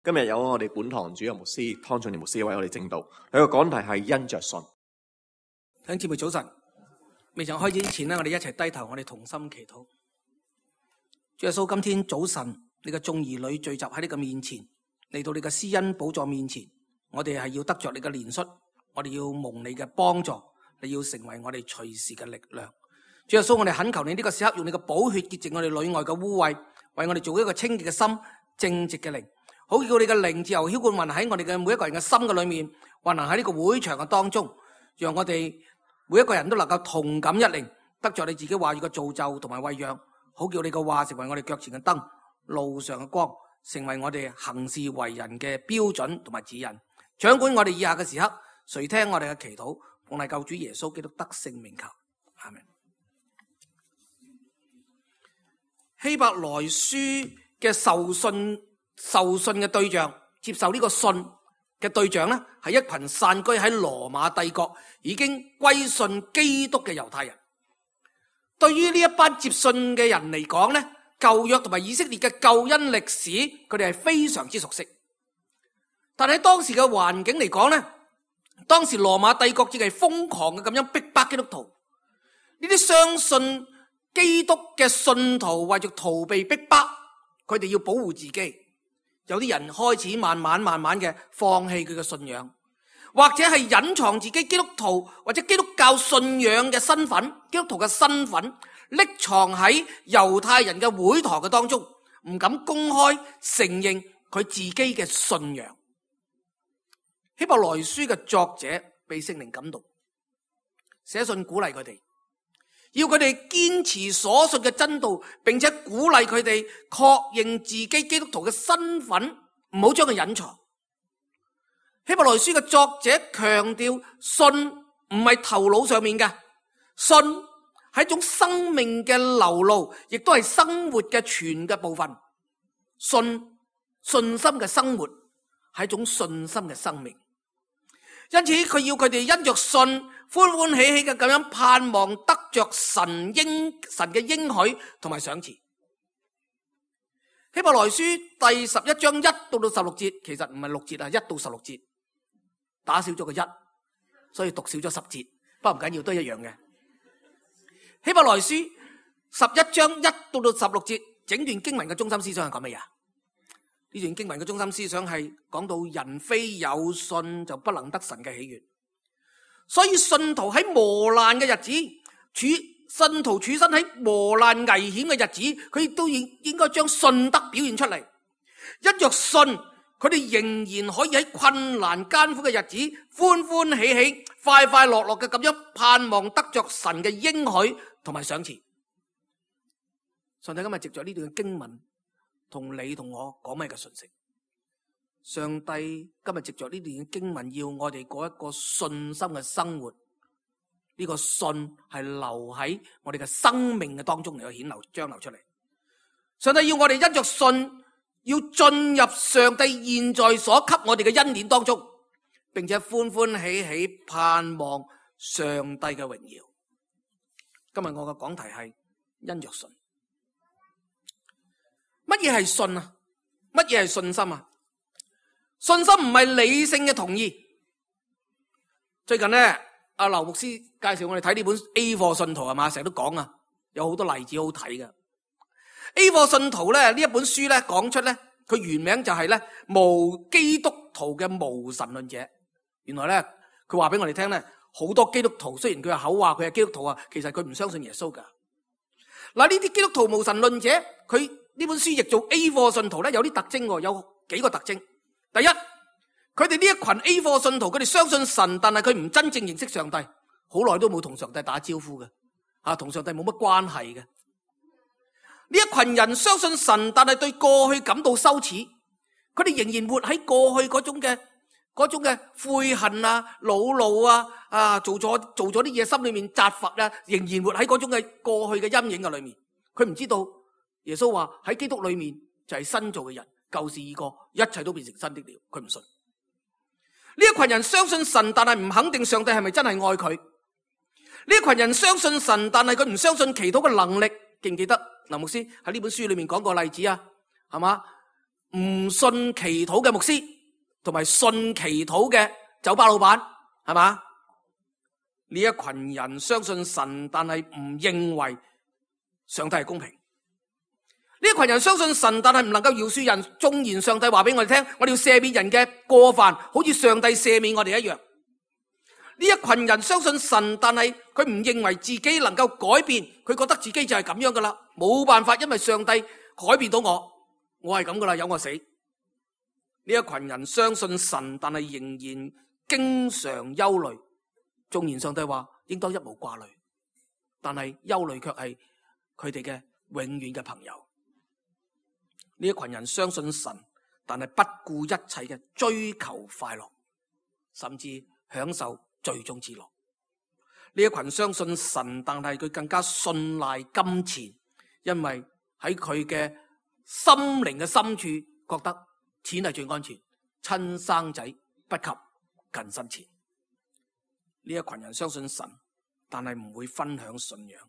今日有我哋本堂主任牧師湯俊年牧師為我哋證道，佢個講題係因着信。弟兄姊妹早晨，未曾開始之前呢，我哋一齊低頭，我哋同心祈禱。主耶穌，今天早晨你嘅眾兒女聚集喺你嘅面前，嚟到你嘅施恩寶座面前，我哋係要得着你嘅憐恤，我哋要蒙你嘅幫助，你要成為我哋隨時嘅力量。主耶穌，我哋懇求你呢個時刻用你嘅寶血潔淨我哋裏外嘅污穢，為我哋做一個清潔嘅心、正直嘅靈，好叫你嘅靈自由澆灌運喺我哋嘅每一個人嘅心嘅裏面，運行喺呢個會場嘅當中，讓我哋每一個人都能夠同感一靈，得着你自己話語嘅造就同埋餵養，好叫你嘅話成為我哋腳前嘅燈，路上嘅光，成為我哋行事為人嘅標準同埋指引。掌管我哋以下嘅時刻，垂聽我哋嘅祈禱，奉係救主耶穌基督得勝名求，阿們。希伯來書嘅受信嘅對象，接受呢個信嘅對象呢，係一群散居喺羅馬帝國已經歸信基督嘅猶太人。對於呢一班接信嘅人嚟講呢，舊約同埋以色列嘅救恩歷史，佢哋係非常之熟悉。但係喺當時嘅環境嚟講呢，當時羅馬帝國正係瘋狂嘅咁樣逼迫基督徒。呢啲相信基督嘅信徒為咗逃避逼迫，佢哋要保護自己。有啲人開始慢慢嘅放棄佢嘅信仰，或者係隱藏自己基督徒或者基督教信仰嘅身份，基督徒嘅身份匿藏喺猶太人嘅會堂嘅當中，唔敢公開承認佢自己嘅信仰。希伯來書嘅作者被聖靈感動，寫信鼓勵佢哋，要佢哋堅持所信嘅真道，並且鼓勵佢哋確認自己基督徒嘅身份，唔好將佢隱藏。希伯來書嘅作者強調，信唔係頭腦上面嘅，信係一種生命嘅流露，亦都係生活嘅全嘅部分。信心嘅生活係一種信心嘅生命，因此佢要佢哋因着信歡歡喜喜嘅咁樣盼望得着神嘅應許同埋賞賜。希伯來書第11章1到16節，其實唔係6節啊，1到16節打少咗個1，所以讀少咗10節，不過唔緊要，都一樣嘅。希伯來書11章1到16節，整段經文嘅中心思想係講乜嘢？呢段經文嘅中心思想係講到人非有信就不能得神嘅喜悅。所以信徒喺磨難嘅日子，信徒處身喺磨難危險嘅日子，佢亦都應該將信德表現出嚟。因着信，佢哋仍然可以喺困難艱苦嘅日子，歡歡喜喜、快快樂樂嘅咁樣盼望得着神嘅應許同埋賞賜。上帝今日藉着呢段經文，同你同我講咩嘅信息？上帝今日藉着呢段經文，要我哋過一個信心嘅生活。呢個信係留喺我哋嘅生命嘅當中嚟去將流出嚟。上帝要我哋因着信，要進入上帝現在所給我哋嘅恩典當中，並且歡歡喜喜盼望上帝嘅榮耀。今日我嘅講題係因着信。乜嘢係信啊？乜嘢係信心啊？信心唔係理性嘅同意。最近呢，阿劉牧師介紹我哋睇呢本 A 貨信徒係嘛，成日都講啊，有好多例子好睇嘅。A 貨信徒咧，呢一本書咧講出咧，佢原名就係咧無基督徒嘅無神論者。原來咧，佢話俾我哋聽咧，好多基督徒雖然佢係口話佢係基督徒啊，其實佢唔相信耶穌噶。嗱，呢啲基督徒無神論者，佢呢本書譯做 A 貨信徒咧，有啲特徵，有幾個特徵。第一，佢哋呢一群 A 貨信徒，佢哋相信神，但係佢唔真正認識上帝，好耐都冇同上帝打招呼嘅，同上帝冇乜關係嘅。呢一群人相信神，但係對過去感到羞恥，佢哋仍然活喺過去嗰種嘅悔恨啊、惱怒啊，做咗啲嘢，心裏面責罰啊，仍然活喺嗰種嘅過去嘅陰影嘅裏面。佢唔知道耶穌話喺基督裏面就係新造嘅人，舊事已過，一切都變成新的了。佢唔信。呢一群人相信神，但係唔肯定上帝係咪真係愛佢。呢一群人相信神，但係佢唔相信祈禱嘅能力。記唔記得林牧師喺呢本書裏面講過例子啊？係嘛？唔信祈禱嘅牧師，同埋信祈禱嘅酒吧老闆，係嘛？呢一群人相信神，但係唔認為上帝係公平。呢一群人相信神，但係唔能夠饒恕人。縱然上帝話俾我哋聽，我哋要赦免人嘅過犯，好似上帝赦免我哋一樣。呢一群人相信神，但係佢唔認為自己能夠改變，佢覺得自己就係咁樣噶啦，冇辦法，因為上帝改變到我係咁噶啦，由我死。呢一群人相信神，但係仍然經常憂慮。縱然上帝話應當一無掛慮，但係憂慮卻係佢哋嘅永遠嘅朋友。呢一群人相信神，但係不顧一切嘅追求快樂，甚至享受最終之樂。呢一群相信神，但係佢更加信賴金錢，因為喺佢嘅心靈嘅深處覺得錢係最安全，親生仔不及近身錢。呢一群人相信神，但係唔會分享信仰。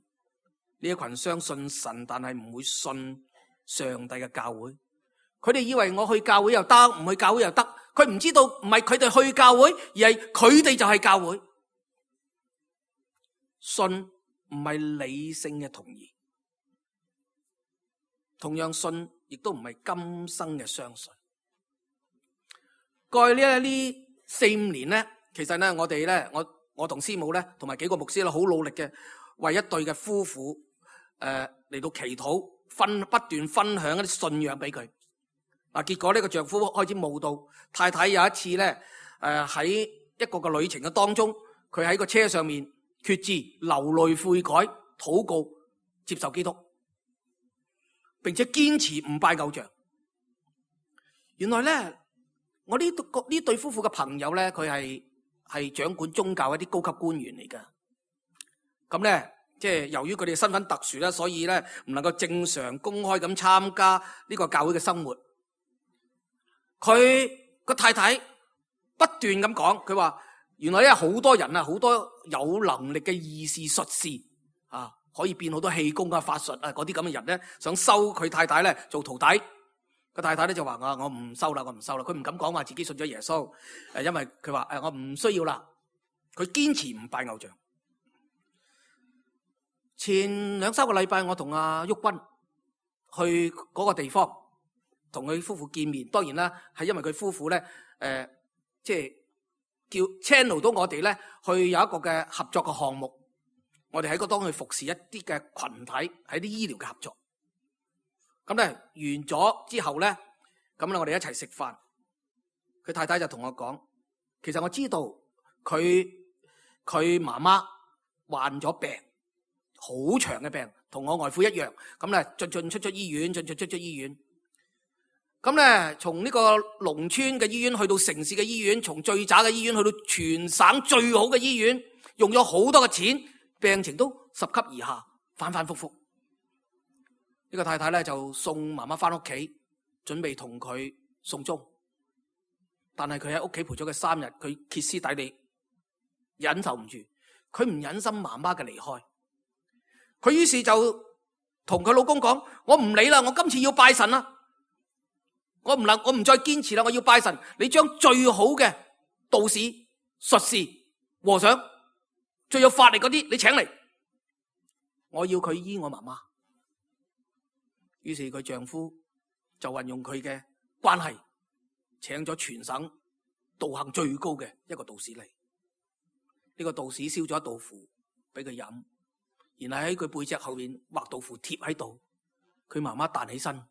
呢一群相信神，但係唔會信上帝嘅教會。佢哋以為我去教會又得，唔去教會又得。佢唔知道唔係佢哋去教會，而係佢哋就係教會。信唔係理性嘅同意，同樣信亦都唔係今生嘅相信。過去呢4-5年咧，其實咧我哋咧，我同師母咧，同埋幾個牧師咧，好努力嘅為一對嘅夫婦嚟到祈禱，不斷分享一啲信仰俾佢。嗱，結果呢個丈夫開始慕道，太太有一次咧，喺一個嘅旅程嘅當中，佢喺個車上面決志流淚悔改，禱告接受基督，並且堅持唔拜偶像。原來咧，我呢對夫婦嘅朋友咧，佢係掌管宗教一啲高級官員嚟㗎。咁咧，即係由於佢哋身份特殊咧，所以咧唔能夠正常公開咁參加呢個教會嘅生活。佢個太太不斷咁講，佢話原來咧好多人啊，好多有能力嘅異士術士啊，可以變好多氣功啊、法術啊嗰啲咁嘅人咧，想收佢太太咧做徒弟。個太太咧就話我唔收啦，我唔收啦。佢唔敢講話自己信咗耶穌，因為佢話我唔需要啦。佢堅持唔拜偶像。前2-3個禮拜，我同阿旭君去嗰個地方，同佢夫婦見面。當然啦，係因為佢夫婦咧，即係叫 channel 到我哋咧去有一個嘅合作嘅項目。我哋喺嗰當去服侍一啲嘅群體，喺啲醫療嘅合作。咁咧完咗之後咧，咁咧我哋一齊食飯。佢太太就同我講，其實我知道佢媽媽患咗病，好長嘅病，同我外父一樣。咁咧進出醫院，進出醫院。咁咧從呢個農村嘅醫院去到城市嘅醫院，從最渣嘅醫院去到全省最好嘅醫院，用咗好多嘅錢，病情都10級以下，反反复复。呢個太太咧就送媽媽翻屋企，準備同佢送終。但係佢喺屋企陪咗佢3日，佢歇斯底里，忍受唔住，佢唔忍心媽媽嘅離開。佢於是就同佢老公講：我唔理啦，我今次要拜神啦，我唔再堅持啦，我要拜神。你將最好嘅道士、術士、和尚，最有法力嗰啲，你請嚟，我要佢醫我媽媽。於是佢丈夫就運用佢嘅關係，請咗全省道行最高嘅一個道士嚟。呢個道士燒咗一道符俾佢飲，然後喺佢背脊後面畫道符貼喺度。佢媽媽彈起身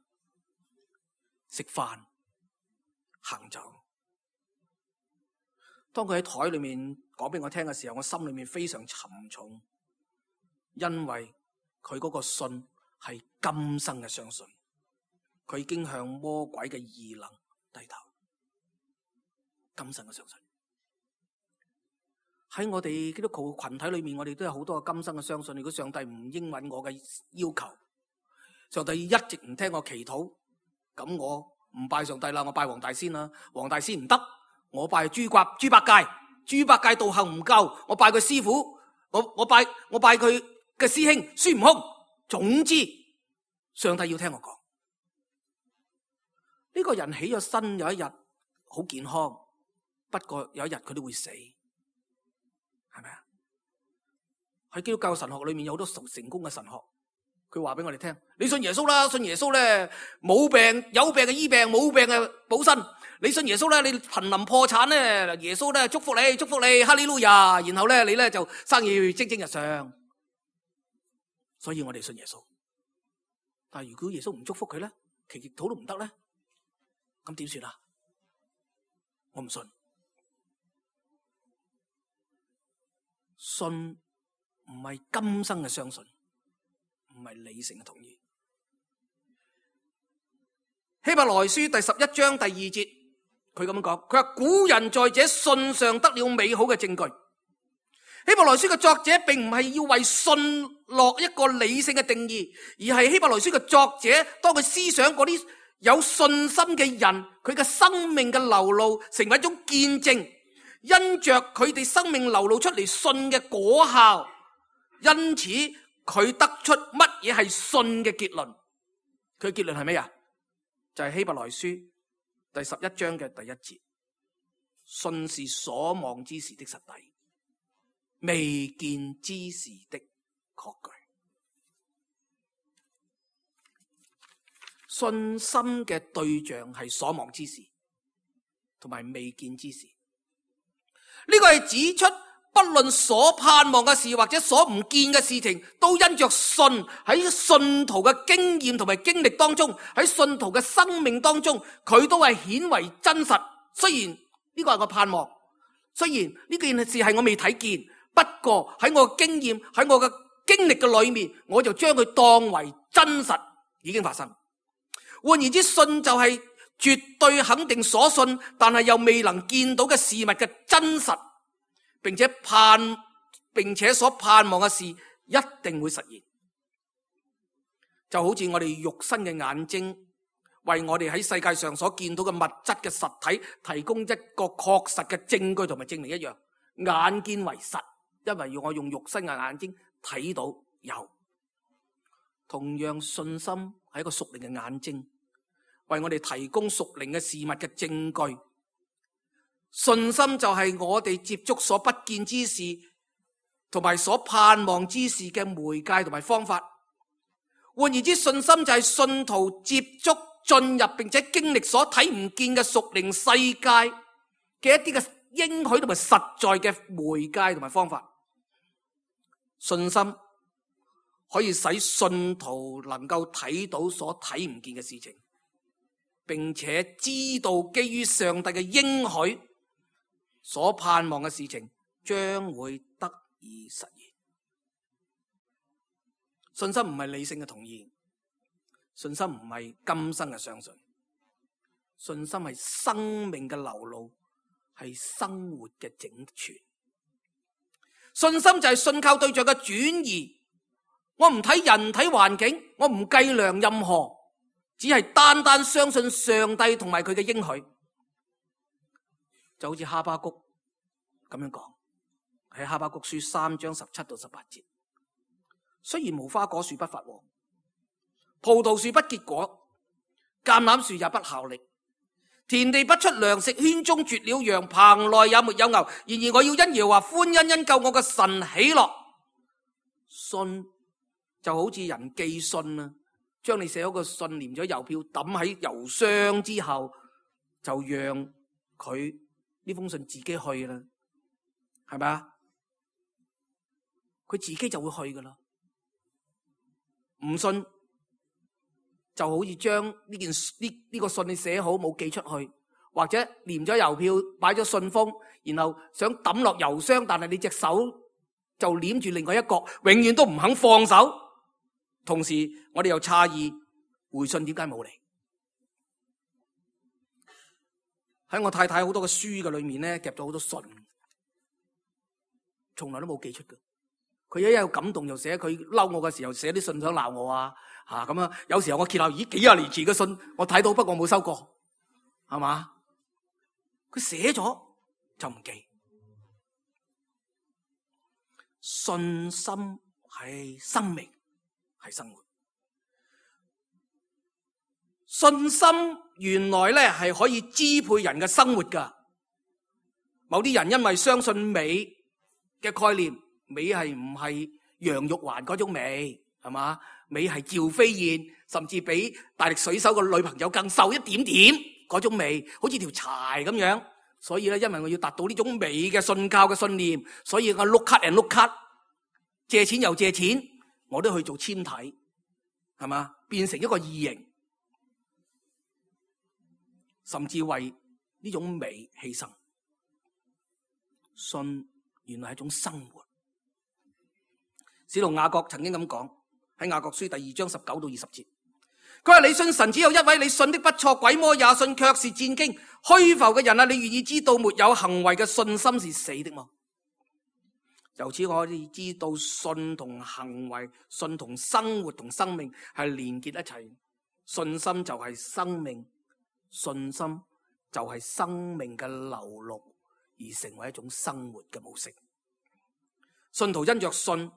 食飯行走。當佢喺台裏面講俾我聽嘅時候，我心裏面非常沉重，因為佢嗰個信係今生嘅相信，佢已經向魔鬼嘅異能低頭。今生嘅相信，喺我哋基督徒群體裏面，我哋都有好多嘅今生嘅相信。如果上帝唔應允我嘅要求，上帝一直唔聽我祈禱，咁我唔拜上帝啦，我拜黃大仙啦。黃大仙唔得，我拜豬八戒。豬八戒道行唔夠，我拜佢師傅，我拜佢嘅師兄孫悟空。總之，上帝要聽我講。呢個人起咗身有一日好健康，不過有一日佢都會死，係咪啊？喺基督教神學裏面有好多成功嘅神學，佢話俾我哋聽：你信耶穌啦，信耶穌咧，冇病有病嘅醫病，冇病嘅補身。你信耶穌咧，你瀕臨破產咧，耶穌咧祝福你，祝福你，哈利路亞。然後咧，你咧就生意蒸蒸日上。所以我哋信耶穌。但係如果耶穌唔祝福佢咧，祈禱都唔得咧，咁點算啊？我唔信，信唔係今生嘅相信，唔係理性嘅同意。希伯來書第11章第2節，佢咁樣講，佢話古人在這信上得了美好嘅證據。希伯來書嘅作者並唔係要為信落一個理性嘅定義，而係希伯來書嘅作者當佢思想嗰啲有信心嘅人，佢嘅生命嘅流露成為一種見證，因着佢哋生命流露出嚟信嘅果效，因此佢得出乜嘢係信嘅結論。佢嘅結論係咩啊？就係希伯來書第11章嘅第1節，信是所望之事的實底，未見之事的確據。信心嘅對象係所望之事同埋未見之事。呢個係指出，不論所盼望嘅事或者所唔見嘅事情，都因着信，喺信徒嘅經驗同埋經歷當中，喺信徒嘅生命當中，佢都係顯為真實。雖然呢個係我盼望，雖然呢件事係我未睇見，不過喺我嘅經驗，喺我嘅經歷嘅裏面，我就將佢當為真實已經發生。換言之，信就係絕對肯定所信，但係又未能見到嘅事物嘅真實，並且所盼望嘅事一定會實現。就好似我哋肉身嘅眼睛，為我哋喺世界上所見到嘅物質嘅實體提供一個確實嘅證據同埋證明一樣，眼見為實，因為要我用肉身嘅眼睛睇到有。同樣，信心係一個屬靈嘅眼睛，為我哋提供屬靈嘅事物嘅證據。信心就係我哋接觸所不見之事同埋所盼望之事嘅媒介同埋方法。換言之，信心就係信徒接觸、進入並且經歷所睇唔見嘅屬靈世界嘅一啲嘅應許同埋實在嘅媒介同埋方法。信心可以使信徒能夠睇到所睇唔見嘅事情，並且知道基於上帝嘅應許所盼望嘅事情將會得以實現。信心唔係理性嘅同意，信心唔係今生嘅相信，信心係生命嘅流露，係生活嘅整全。信心就係信靠對象嘅轉移。我唔睇人睇環境，我唔計量任何，只係單單相信上帝同埋佢嘅應許。就好似哈巴谷咁樣講，喺哈巴谷書3章17到18節。雖然無花果樹不發旺，葡萄樹不結果，橄欖樹也不效力，田地不出糧食，圈中絕了羊，棚內也沒有牛。然而我要因耶和華歡欣，因救我嘅神喜樂。信就好似人寄信啊，將你寫咗個信黏咗郵票抌喺郵箱之後，就讓佢呢封信自己去啦，係咪啊？佢自己就會去噶啦。唔信就好似將呢個信你寫好冇寄出去，或者黏咗郵票擺咗信封，然後想抌落郵箱，但係你隻手就黏住另外一角，永遠都唔肯放手。同時我哋又詫異回信點解冇嚟？喺我太太好多嘅書嘅裏面咧，夾咗好多信，從來都冇寄出嘅。佢一有感動又寫，佢嬲我嘅時候寫啲信想鬧我啊，咁啊。有時候我揭漏，咦，幾廿年前嘅信我睇到，不過冇收過，係嘛？佢寫咗就唔記。信心係生命，係生活。信心原來咧係可以支配人嘅生活噶。某啲人因為相信美嘅概念，美係唔係楊玉環嗰種美，係嘛？美係趙飛燕，甚至比大力水手嘅女朋友更瘦一點點嗰種美，好似條柴咁樣。所以咧，因為我要達到呢種美嘅信教嘅信念，所以我碌卡人碌卡，借錢又借錢，我都去做纖體，係嘛？變成一個異形。甚至為呢種美犧牲。信原來係一種生活。使徒雅各曾經咁講，喺雅各書第2章19到20節，佢話：你信神只有一位，你信的不錯，鬼魔也信，卻是戰驚。虛浮嘅人啊，你願意知道沒有行為嘅信心是死的嗎？由此我哋知道信同行為、信同生活同生命係連結一齊。信心就係生命。信心就係生命嘅流露，而成為一種生活嘅模式。信徒因着信，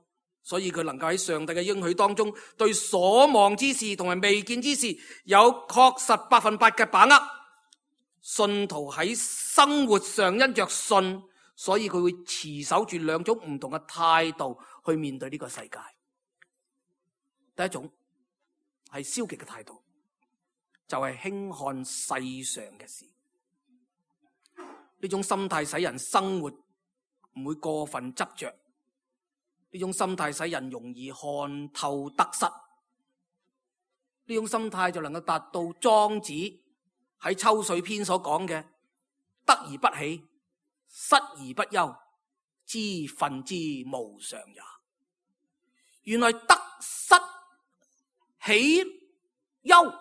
所以佢能夠喺上帝嘅應許當中，對所望之事同埋未見之事有確實100%嘅把握。信徒喺生活上因着信，所以佢會持守住兩種唔同嘅態度去面對呢個世界。第一種係消極嘅態度，就係輕看世上嘅事。呢種心態使人生活唔會過分執着，呢種心態使人容易看透得失。呢種心態就能夠達到莊子喺秋水篇所講嘅得而不喜，失而不憂，知分之無常也。原來得失喜憂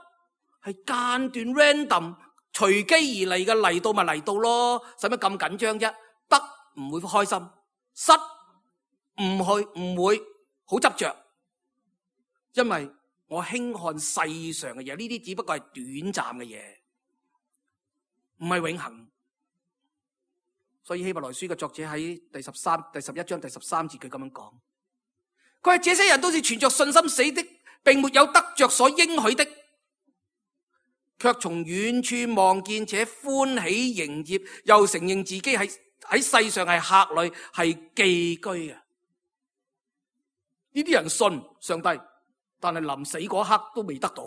係間斷 random 隨機而嚟嘅，嚟到咪嚟到咯，使乜咁緊張啫？得唔會開心，失唔會好執着，因為我輕看世上嘅嘢，呢啲只不過係短暫嘅嘢，唔係永恆。所以希伯來書嘅作者喺第11章第13節佢咁樣講，佢話這些人都是存着信心死的，並沒有得着所應許的，卻從遠處望見且歡喜迎接，又承認自己喺世上係客旅，係寄居嘅。呢啲人信上帝，但係臨死嗰刻都未得到。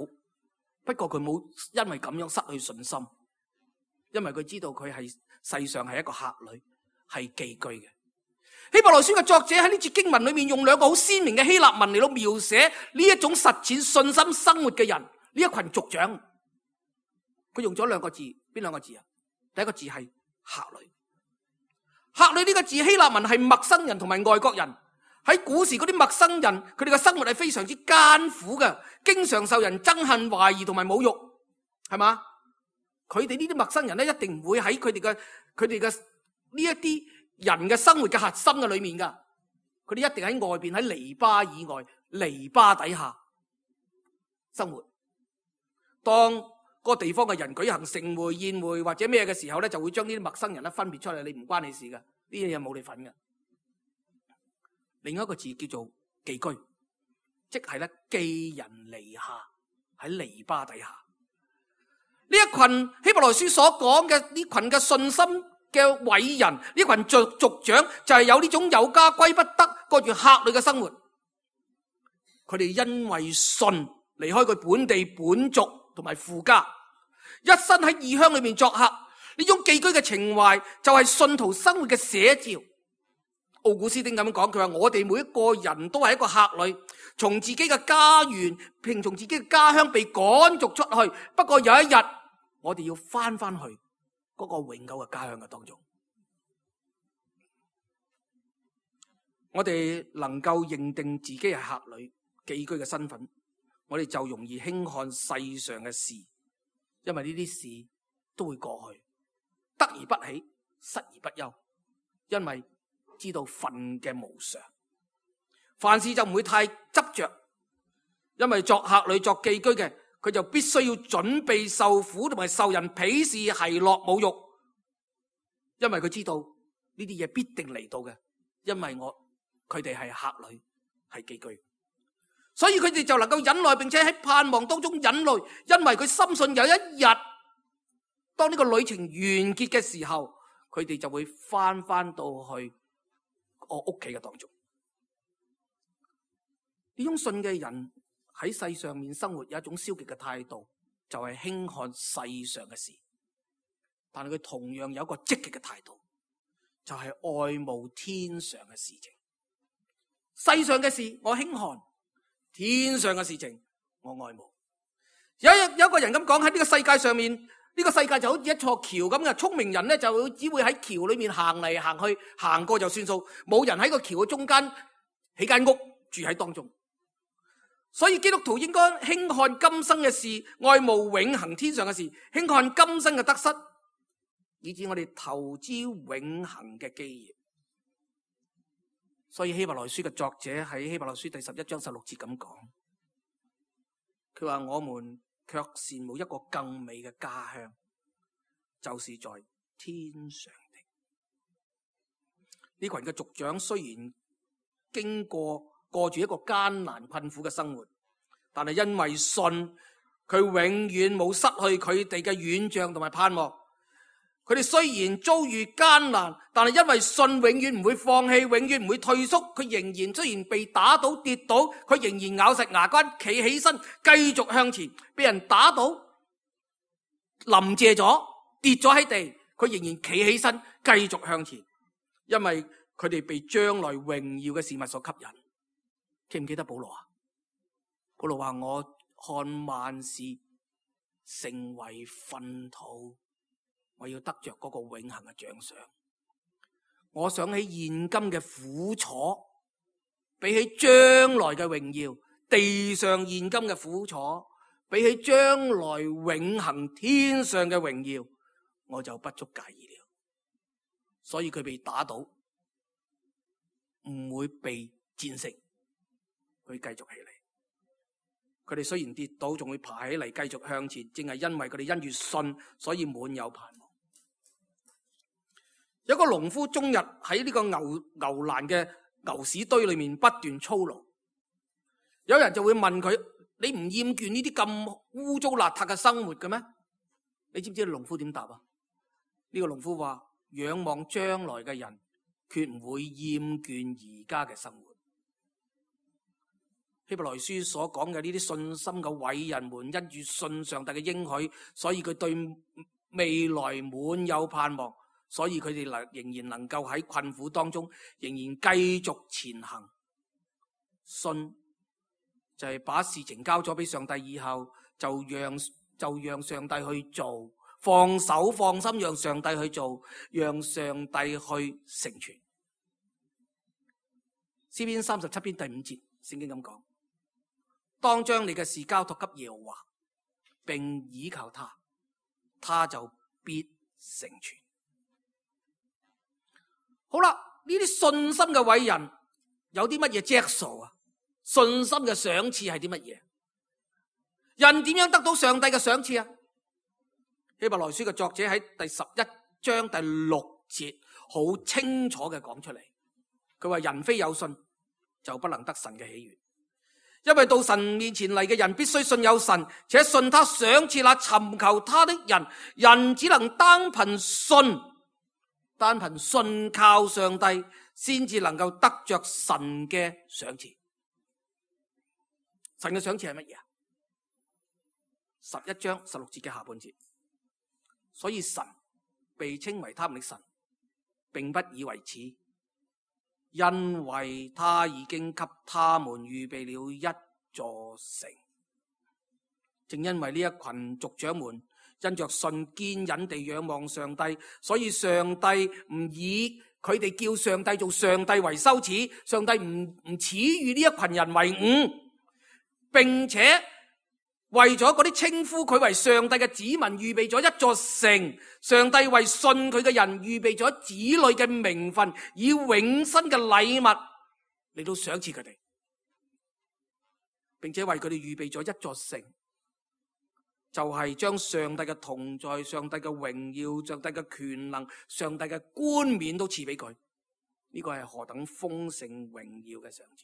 不過佢冇因為咁樣失去信心，因為佢知道佢係世上係一個客旅，係寄居嘅。希伯來書嘅作者喺呢節經文裏面用兩個好鮮明嘅希臘文嚟到描寫呢一種實踐信心生活嘅人，呢一群族長。佢用咗兩個字，邊兩個字啊？第一個字係客旅。客旅呢個字希臘文係陌生人同埋外國人。喺古時嗰啲陌生人，佢哋嘅生活係非常之艱苦嘅，經常受人憎恨、懷疑同埋侮辱，係嘛？佢哋呢啲陌生人咧，一定唔會喺佢哋嘅呢一啲人嘅生活嘅核心嘅裏面噶，佢哋一定喺外邊，喺籬笆以外、籬笆底下生活。當嗰個地方嘅人舉行盛會、宴會或者咩嘅時候咧，就會將呢啲陌生人咧分別出嚟，你唔關你事噶，呢啲嘢冇你份噶。另一個字叫做寄居，即係咧寄人籬下，喺籬笆底下。呢一群希伯來書所講嘅呢群嘅信心嘅偉人，呢群族長就係有呢種有家歸不得、過住客旅嘅生活。佢哋因為信離開佢本地本族同埋父家，一生喺異鄉裏面作客。呢種寄居嘅情懷就係信徒生活嘅寫照。奧古斯丁咁樣講，佢話我哋每一個人都係一個客旅，從自己嘅家園，並從自己嘅家鄉被趕逐出去。不過有一日，我哋要翻去嗰個永久嘅家鄉嘅當中。我哋能夠認定自己係客旅寄居嘅身份，我哋就容易輕看世上嘅事，因為呢啲事都會過去，得而不喜，失而不憂，因為知道份嘅無常，凡事就唔會太執着，因為作客旅、作寄居嘅，佢就必須要準備受苦同埋受人鄙視、奚落、侮辱，因為佢知道呢啲嘢必定嚟到嘅，因為佢哋係客旅，係寄居。所以佢哋就能夠忍耐，並且喺盼望當中忍耐，因為佢深信有一日，當呢個旅程完結嘅時候，佢哋就會翻到去我屋企嘅當中。呢種信嘅人喺世上面生活有一種消極嘅態度，就係輕看世上嘅事，但係佢同樣有一個積極嘅態度，就係愛慕天上嘅事情。世上嘅事我輕看，天上嘅事情我愛慕。有一個人咁講，喺呢個世界上面，呢個世界就好似一座橋咁嘅，聰明人咧就只會喺橋裏面行嚟行去，行過就算數，冇人喺個橋嘅中間起間屋住喺當中。所以基督徒應該輕看今生嘅事，愛慕永恆天上嘅事，輕看今生嘅得失，以致我哋投資永恆嘅基業。所以希伯來書嘅作者喺希伯來書第11章16節咁講，佢話我們卻羨慕一個更美嘅家鄉，就是在天上的。呢群嘅族長雖然過住一個艱難困苦嘅生活，但係因為信，佢永遠冇失去佢哋嘅遠象同埋盼望。佢哋雖然遭遇艱難，但係因為信，永遠唔會放棄，永遠唔會退縮。佢仍然雖然被打倒跌倒，佢仍然咬實牙關企起身，繼續向前。被人打倒臨謝咗跌咗喺地，佢仍然企起身繼續向前，因為佢哋被將來榮耀嘅事物所吸引。記唔記得保羅啊？保羅話我看萬事成為糞土，我要得着嗰個永恆嘅獎賞。我想起現今嘅苦楚，比起將來嘅榮耀，地上現今嘅苦楚，比起將來永恆天上嘅榮耀，我就不足介意了。所以佢被打倒，唔會被戰勝，佢繼續起嚟。佢哋雖然跌倒，仲會爬起嚟繼續向前，正係因為佢哋因住信，所以滿有盼望。有個農夫終日喺呢個牛欄嘅牛屎堆裏面不斷操勞，有人就會問佢：你唔厭倦呢啲咁污糟邋遢嘅生活嘅咩？你知唔知農夫點答啊？呢個農夫話：仰望將來嘅人，決唔會厭倦而家嘅生活。希伯來書所講嘅呢啲信心嘅偉人們，因住信上帝嘅應許，所以佢對未來滿有盼望，所以佢哋仍然能夠喺困苦當中仍然繼續前行。信就係把事情交咗俾上帝以後，就讓上帝去做，放手放心讓上帝去做，讓上帝去成全。詩篇37篇第5節，聖經咁講：當將你嘅事交託給耶和華，並倚靠他，他就必成全。好啦，呢啲信心嘅偉人有啲乜嘢質素啊？信心嘅賞賜係啲乜嘢？人點樣得到上帝嘅賞賜啊？希伯來書嘅作者喺第11章第6節好清楚嘅講出嚟，佢話人非有信就不能得神嘅喜悅，因為到神面前嚟嘅人必須信有神，且信他賞賜那尋求他的人。人只能單憑信靠上帝，先至能夠得着神嘅賞賜。神嘅賞賜係乜嘢啊？11章16節嘅下半節，所以神被稱為他們的神，並不以為恥，因為他已經給他們預備了一座城。正因為呢一群族長們因着信堅忍地仰望上帝，所以上帝唔以佢哋叫上帝做上帝為羞恥，上帝唔恥譽呢一群人為伍，並且為咗嗰啲稱呼佢為上帝嘅子民預備咗一座城。上帝為信佢嘅人預備咗子女嘅名分，以永生嘅禮物嚟到賞賜佢哋，並且為佢哋預備咗一座城，就係將上帝嘅同在、上帝嘅榮耀、上帝嘅權能、上帝嘅冠冕都賜俾佢。呢個係何等豐盛榮耀嘅賞賜！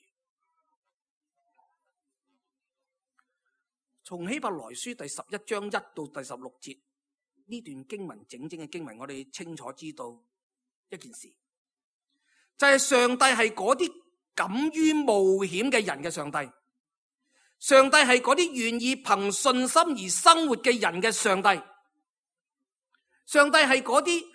從希伯來書第11章1到第16節呢段經文，整嘅經文，我哋清楚知道一件事，就係上帝係嗰啲敢於冒險嘅人嘅上帝，上帝係嗰啲願意憑信心而生活嘅人嘅上帝，上帝係嗰啲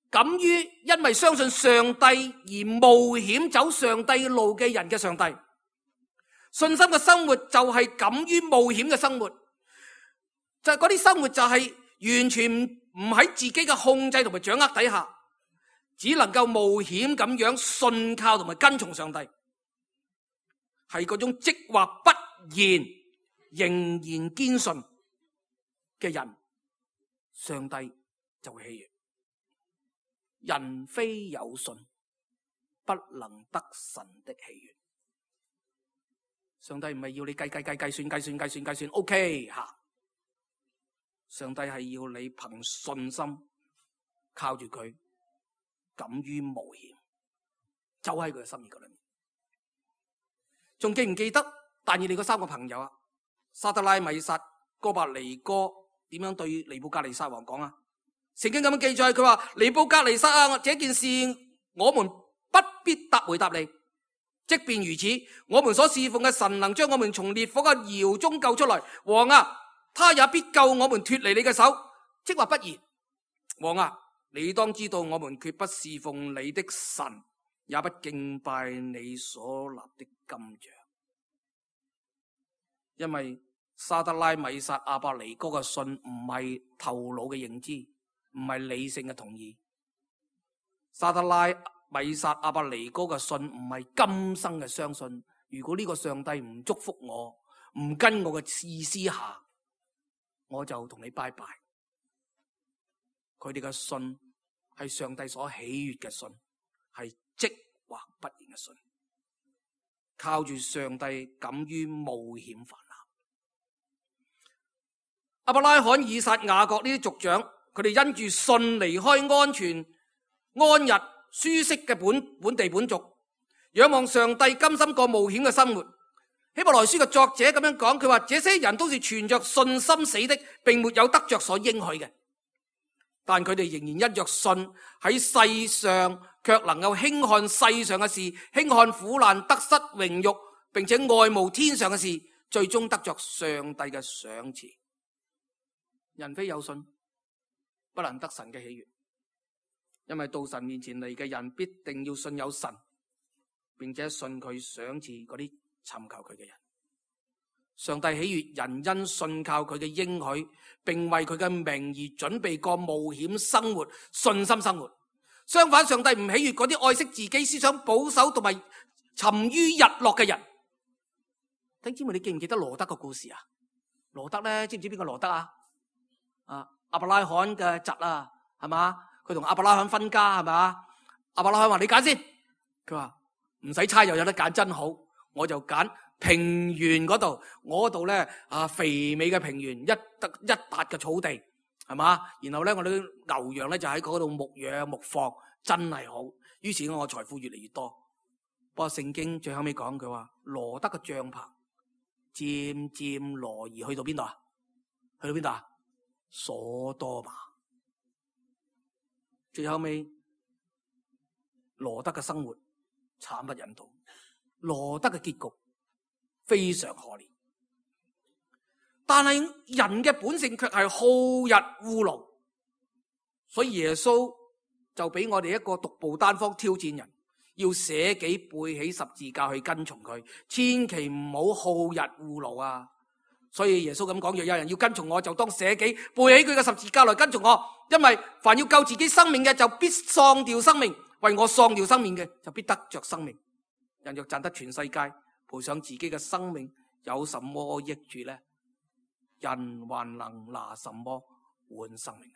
敢於因為相信上帝而冒險走上帝嘅路嘅人嘅上帝。信心嘅生活就係敢於冒險嘅生活，就係嗰啲生活就係完全唔喺自己嘅控制同埋掌握底下，只能夠冒險咁樣信靠同埋跟從上帝，係嗰種即或不然仍然堅信嘅人，上帝就會喜悅。人非有信，不能得神的喜悅。上帝唔係要你計算 OK 吓，上帝係要你憑信心靠住佢，敢於冒險，走喺佢嘅心意嗰裏面。仲記唔記得但以理嗰3個朋友啊？沙得拉、米煞、哥伯尼哥點樣對尼布甲尼撒王講啊？聖經咁樣記載，佢話尼布甲尼撒啊，這件事我們不必回答你。即便如此，我們所侍奉嘅神能將我們從烈火嘅窯中救出來。王啊，他也必救我們脫離你嘅手。即或不然，王啊，你當知道我們決不侍奉你的神，也不敬拜你所立的金像。因為沙得拉、米煞、亞伯尼哥嘅信唔係頭腦嘅認知，唔係理性嘅同意。沙得拉、米煞、亞伯尼哥嘅信唔係今生嘅相信，如果呢個上帝唔祝福我，唔跟我嘅意思下，我就同你拜拜。佢哋嘅信係上帝所喜悅嘅信，係即或不然嘅信，靠住上帝敢於冒險犯難。亞伯拉罕、以撒、雅各呢啲族長，佢哋因住信離開安全、安逸、舒適嘅本地本族，仰望上帝，甘心過冒險嘅生活。希伯來書嘅作者咁樣講，佢話這些人都是存着信心死的，並沒有得着所應許嘅。但佢哋仍然因着信喺世上，卻能夠輕看世上嘅事，輕看苦難、得失、榮辱，並且愛慕天上嘅事，最終得着上帝嘅賞賜。人非有信，不能得神嘅喜悅。因為到神面前嚟嘅人必定要信有神，並且信佢賞賜嗰啲尋求佢嘅人。上帝喜悅人因信靠佢嘅應許，並為佢嘅名而準備過冒險生活、信心生活。相反，上帝唔喜悅嗰啲愛惜自己、思想保守同埋沉於日落嘅人。弟兄姊妹，你記唔記得羅德個故事啊？羅德咧，知唔知邊個羅德啊？亞伯拉罕嘅侄啊，係嘛？佢同亞伯拉罕分家，係嘛？亞伯拉罕話你揀先，佢話唔使猜又有得揀，真好，我就揀平原嗰度，我嗰度咧肥美嘅平原，一笪嘅草地，係嘛？然後咧我哋牛羊咧就喺嗰度牧養牧放，真係好。於是我財富越嚟越多。不過聖經最後尾講佢話羅德嘅帳篷漸漸挪移去到邊度啊？去到邊度啊？所多瑪。最後尾羅德嘅生活慘不忍睹，羅德嘅結局非常可憐。但係人嘅本性卻係好逸惡勞，所以耶穌就俾我哋一個獨步單方挑戰人，要捨己背起十字架去跟從佢，千祈唔好好逸惡勞啊！所以耶穌咁講，若有人要跟從我，就當捨己背起佢嘅十字架來跟從我。因為凡要救自己生命嘅，就必喪掉生命；為我喪掉生命嘅，就必得着生命。人若賺得全世界，賠上自己嘅生命，有什麼益處呢？人還能拿什麼換生命呢？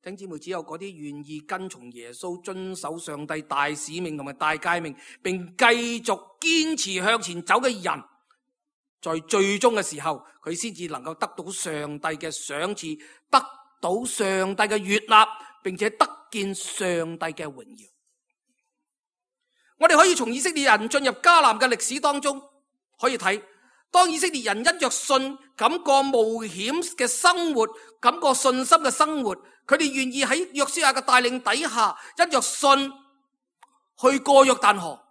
弟兄姊妹，只有嗰啲願意跟從耶穌、遵守上帝大使命同埋大誡命，並繼續堅持向前走嘅人，在最終嘅時候，佢先至能夠得到上帝嘅賞賜，得到上帝嘅悅納，並且得見上帝嘅榮耀。我哋可以從以色列人進入迦南嘅歷史當中可以睇，當以色列人因着信咁過冒險嘅生活，咁過信心嘅生活，佢哋願意喺約書亞嘅帶領底下，因着信去過約旦河。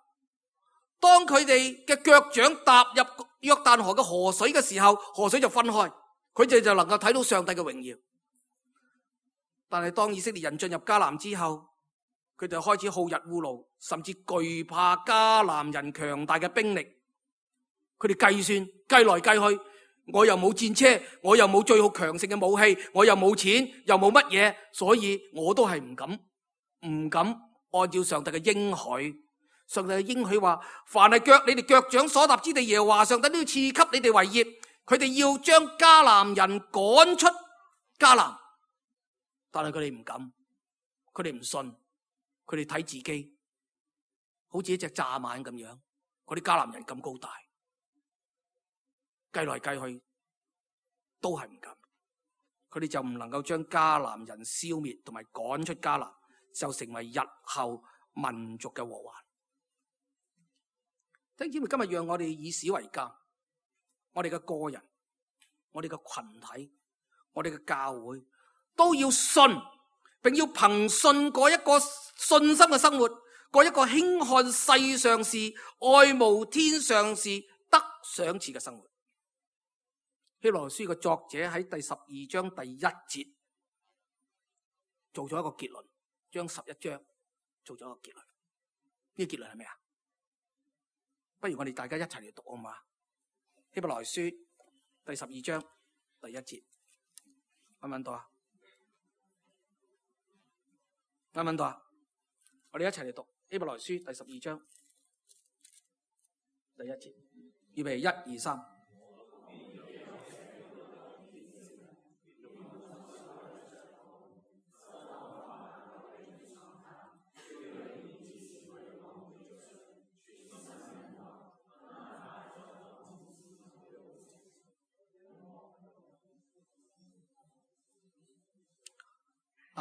當佢哋嘅腳掌踏入約旦河嘅河水嘅時候，河水就分開，佢哋就能夠睇到上帝嘅榮耀。但係當以色列人進入迦南之後，佢哋開始好逸惡勞，甚至懼怕迦南人強大嘅兵力。佢哋計算計來計去，我又冇戰車，我又冇最好強盛嘅武器，我又冇錢，又冇乜嘢，所以我都係唔敢按照上帝嘅應許。上帝嘅應許話，凡係你哋腳掌所踏之地，耶和華上帝都要賜給你哋為業。佢哋要將迦南人趕出迦南，但係佢哋唔敢，佢哋唔信，佢哋睇自己好似一隻蚱蜢咁樣，嗰啲迦南人咁高大，計來計去都係唔敢，佢哋就唔能夠將迦南人消滅同埋趕出迦南，就成為日後民族嘅禍患。弟兄姊妹，今日讓我哋以史為鑑，我哋嘅個人、我哋嘅群體、我哋嘅教會都要信，並要憑信過一個信心嘅生活，過一個輕看世上事、愛慕天上事、得賞賜嘅生活。希伯來書嘅作者喺第12章第1節做咗一個結論，將11章做咗一個結論。呢個結論係咩啊？不如我哋大家一齊嚟讀好嘛？希伯來書第12章第1節，揾唔揾到啊？揾唔揾到啊？我哋一齊嚟讀希伯來書第12章第1節，預備1、2、3。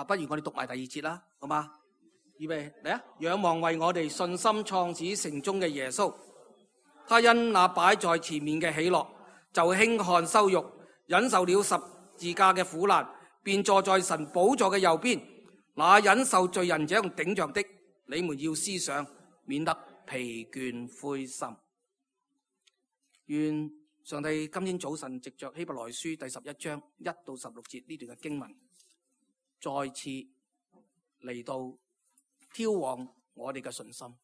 不如我哋讀埋第2節啦，好嘛？預備嚟啊！仰望為我哋信心創始成終嘅耶穌，他因那擺在前面嘅喜樂，就輕看羞辱，忍受了十字架嘅苦難，便坐在神寶座嘅右邊。那忍受罪人這樣頂撞的，你們要思想，免得疲倦灰心。願上帝今天早晨藉着希伯來書第11章1到16節呢段嘅經文，再次嚟到挑旺我哋嘅信心。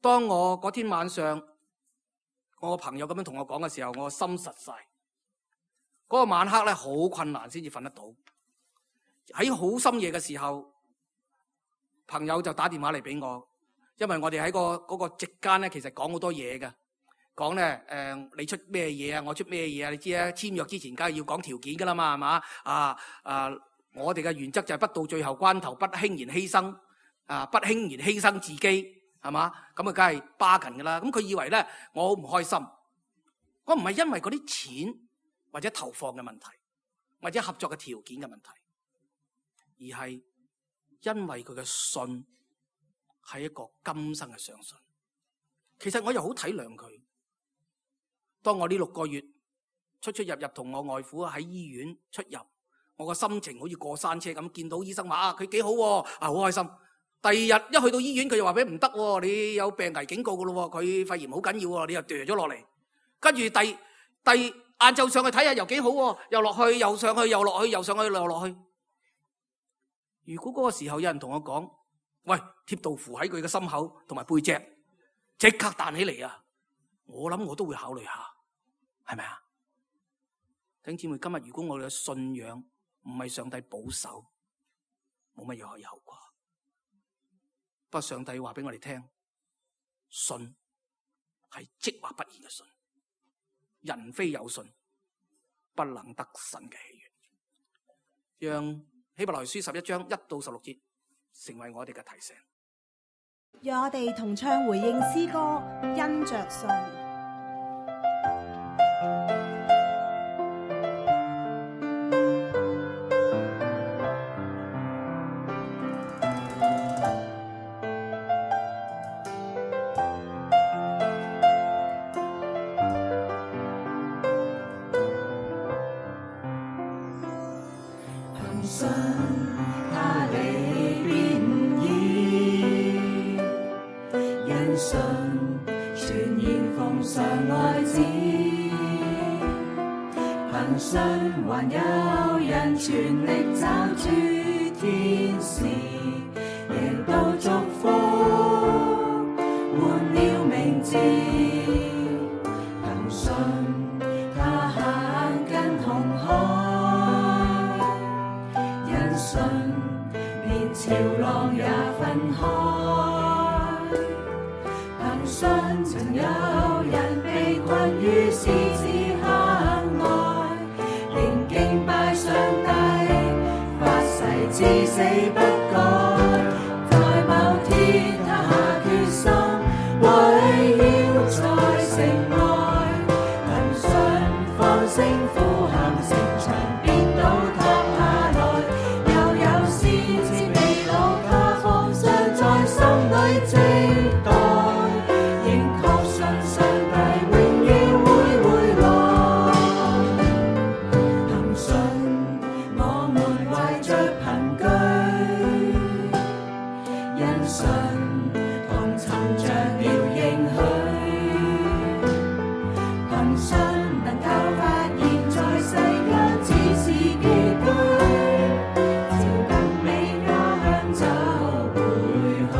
當我嗰天晚上，我個朋友咁樣同我講嘅時候，我心實晒。嗰個晚黑咧，好困難先至瞓得到。喺好深夜嘅時候，朋友就打電話嚟俾我，因為我哋喺嗰個席間咧，其實講好多嘢嘅。講咧，你出咩嘢啊？我出咩嘢啊？你知啊，簽約之前梗係要講條件噶啦嘛，係嘛？我哋嘅原則就係不到最後關頭不輕言犧牲，不輕言犧牲自己，係嘛？咁啊，梗係巴緊噶啦。咁佢以為咧我好唔開心，我唔係因為嗰啲錢或者投放嘅問題，或者合作嘅條件嘅問題，而係因為佢嘅信係一個今生嘅相信。其實我又好體諒佢。當我呢6個月出入同我外父喺醫院出入，我個心情好似過山車咁，見到醫生話佢幾好喎，好開心。第二日一去到醫院，佢就話俾唔得，你有病危警告噶咯，佢肺炎好緊要喎，你又掉咗落嚟。跟住第晏晝上去睇下又幾好喎，又落去又上去又落去又上去又落去。如果嗰個時候有人同我講，喂，貼道符喺佢嘅心口同埋背脊，即刻彈起嚟啊！我諗我都會考慮下，係咪啊？弟兄姊妹，今日如果我哋嘅信仰唔係上帝保守，冇乜嘢可以後果。不過上帝話俾我哋聽，信係即或不然嘅信，人非有信，不能得神嘅喜悅。讓希伯來書11章1到16節成為我哋嘅提醒。讓我哋同唱回應詩歌，因着信。信他離別意，因信全然奉上愛子，憑信還有人全力抓住天使，贏到祝福，換了名字，憑信他行近紅海，因信連潮浪也分開，憑信曾有人被困於獅子坑外，仍敬拜上帝，發誓至死不改，在某天他下決心，圍繞在城外，憑信放聲呼喊，城牆變倒塌下來，又有先知被擄，他放上在心裏靜待，仍確信上帝永遠會回來，憑信我們懷着憑據，因信同尋着了應許，憑信能夠發現在世間只是寄居，朝更美家鄉走回去。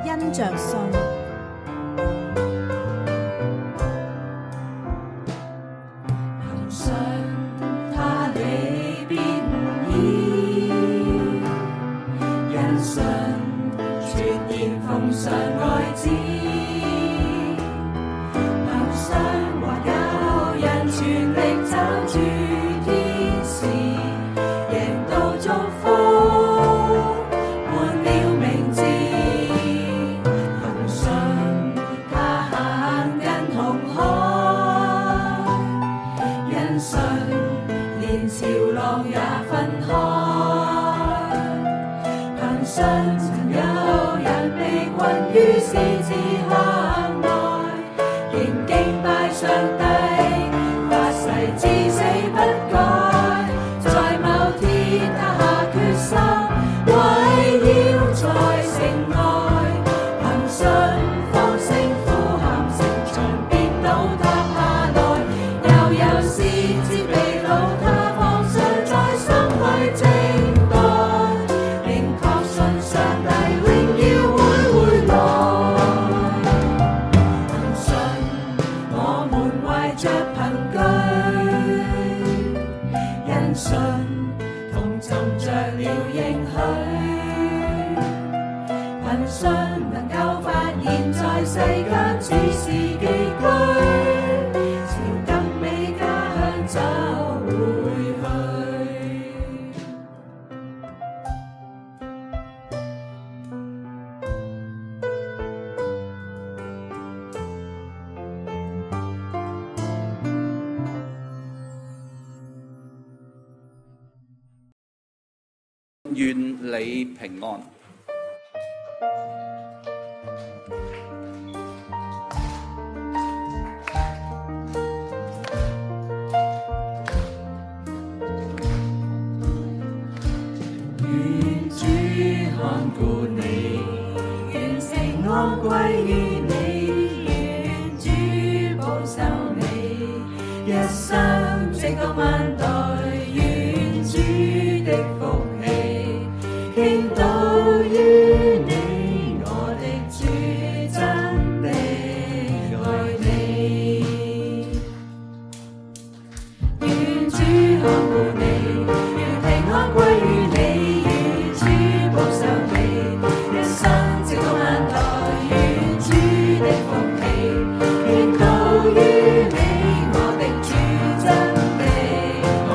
因着信，憑信他離別意，因信全然奉上愛子，憑信還有人全力抓住天使，贏到祝福，換了名字，憑信他行近紅海，因信連潮浪也分開，憑信曾有人被困於獅子坑外，仍敬拜上帝，發誓至死不改，在某天他下決心，圍繞在城外，憑信放聲呼喊，城牆變倒塌下來，又有先知被擄，他放上在心裏靜待，仍確信上帝榮耀會回來，憑信我們懷着憑據，因信同尋着了應許，憑信能夠發現在世間只是寄居，朝更美家鄉走回去。願你平安。願主看顧你，願平安歸於你，願主保守你，一生直到萬代，願主的福氣傾倒於你，我的主真的愛你。願主看顧你，願平安歸於你，願主保守你，一生直到萬代，願主的福氣傾倒於你，我的主真的愛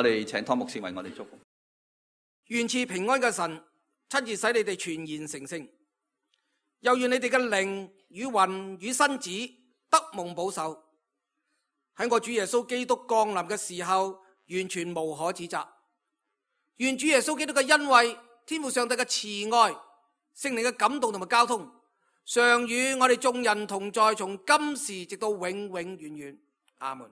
我哋請湯牧師為我哋祝福。願賜平安嘅神親自使你哋全然成聖，又願你哋嘅靈與魂與身子得蒙保守，喺我主耶穌基督降臨嘅時候完全無可指責。願主耶穌基督嘅恩惠、天父上帝嘅慈愛、聖靈嘅感動同埋交通，常與我哋眾人同在，從今時直到永永遠遠。阿門。